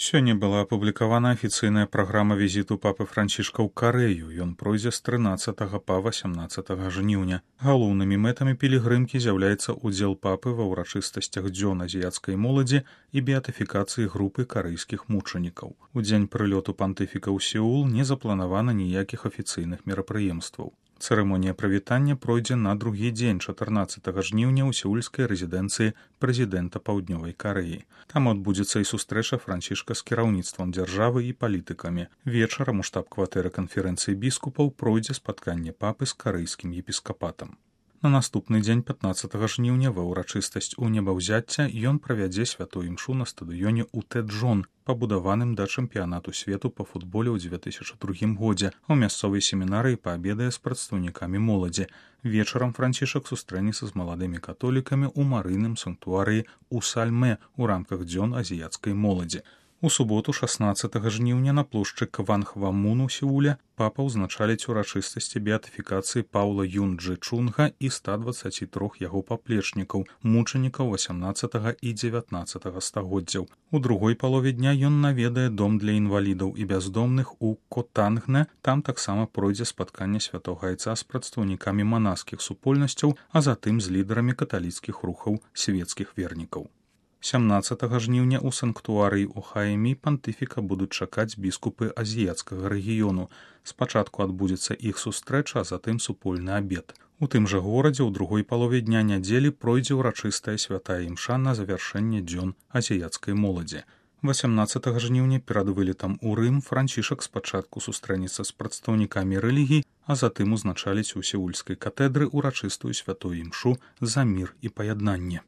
Сёння была апублікавана афіцыйная праграма візіту папы Францішка ў Карэю. Ён пройдзе з 13 па 18 жніўня. Галоўнымі мэтамі пілігрымкі з'яўляецца ўдзел папы ва ўрачыстасцях дзён азіяцкай моладзі і беатыфікацыі групы карэйскіх мучанікаў. У дзень прылёту пантыфіка ў Сеул не запланавана ніякіх афіцыйных мерапрыемстваў. Цырымонія прывітання пройдзе на другі дзень 14 жніўня ў сеульскай рэзідэнцыі прэзідэнта Паўднёвай Карэі. Там адбудзецца і сустрэча Францішка з кіраўніцтвам дзяржавы і палітыкамі. Вечарам у штаб-кватэры канферэнцыі біскупаў пройдзе спатканне папы з карэйскім епіскапатам. На наступны дзень 15 жніўня ва ўрачыстасць у небаўзяцця ён правядзе святую імшу на стадыёне ў Тэджон, пабудаваным да чэмпіянату свету па футболе ў 2002 годзе, а ў мясцовай семінарыі паабедае з прадстаўнікамі моладзі. Вечарам Францішак сустрэнецца з маладымі католікамі ў марыйным санктуарыі ў Сальмэ ў рамках дзён азіяцкай моладзі. У суботу 16 жніўня на плошчы Кванхвамун у Сеуле папа ўзначаліць урачыстасці беатыфікацыі Паўла Юн-Джы Чунга і 123 яго паплечнікаў, мучанікаў 18 і 19 стагоддзяў. У другой палове дня ён наведае дом для інвалідаў і бяздомных у Котангне. Там таксама пройдзе спатканне святога айца з прадстаўнікамі манаскіх супольнасцяў, а затым з лідарамі каталіцкіх рухаў свецкіх вернікаў. 17 жніўня ў санктуарыі ў Хаэмі пантыфіка будуць чакаць біскупы азіяцкага рэгіёну. Спачатку адбудзецца іх сустрэча, а затым супольны абед. У тым жа горадзе ў другой палове дня нядзелі пройдзе ўрачыстая святая імша на завяршэнне дзён азіяцкай моладзі. 18 жніўня перад вылетам у Рым Францішак спачатку сустрэнецца з прадстаўнікамі рэлігій, а затым узначаліць у сеульскай катедры ўрачыстую святую імшу за мір і паяднанне.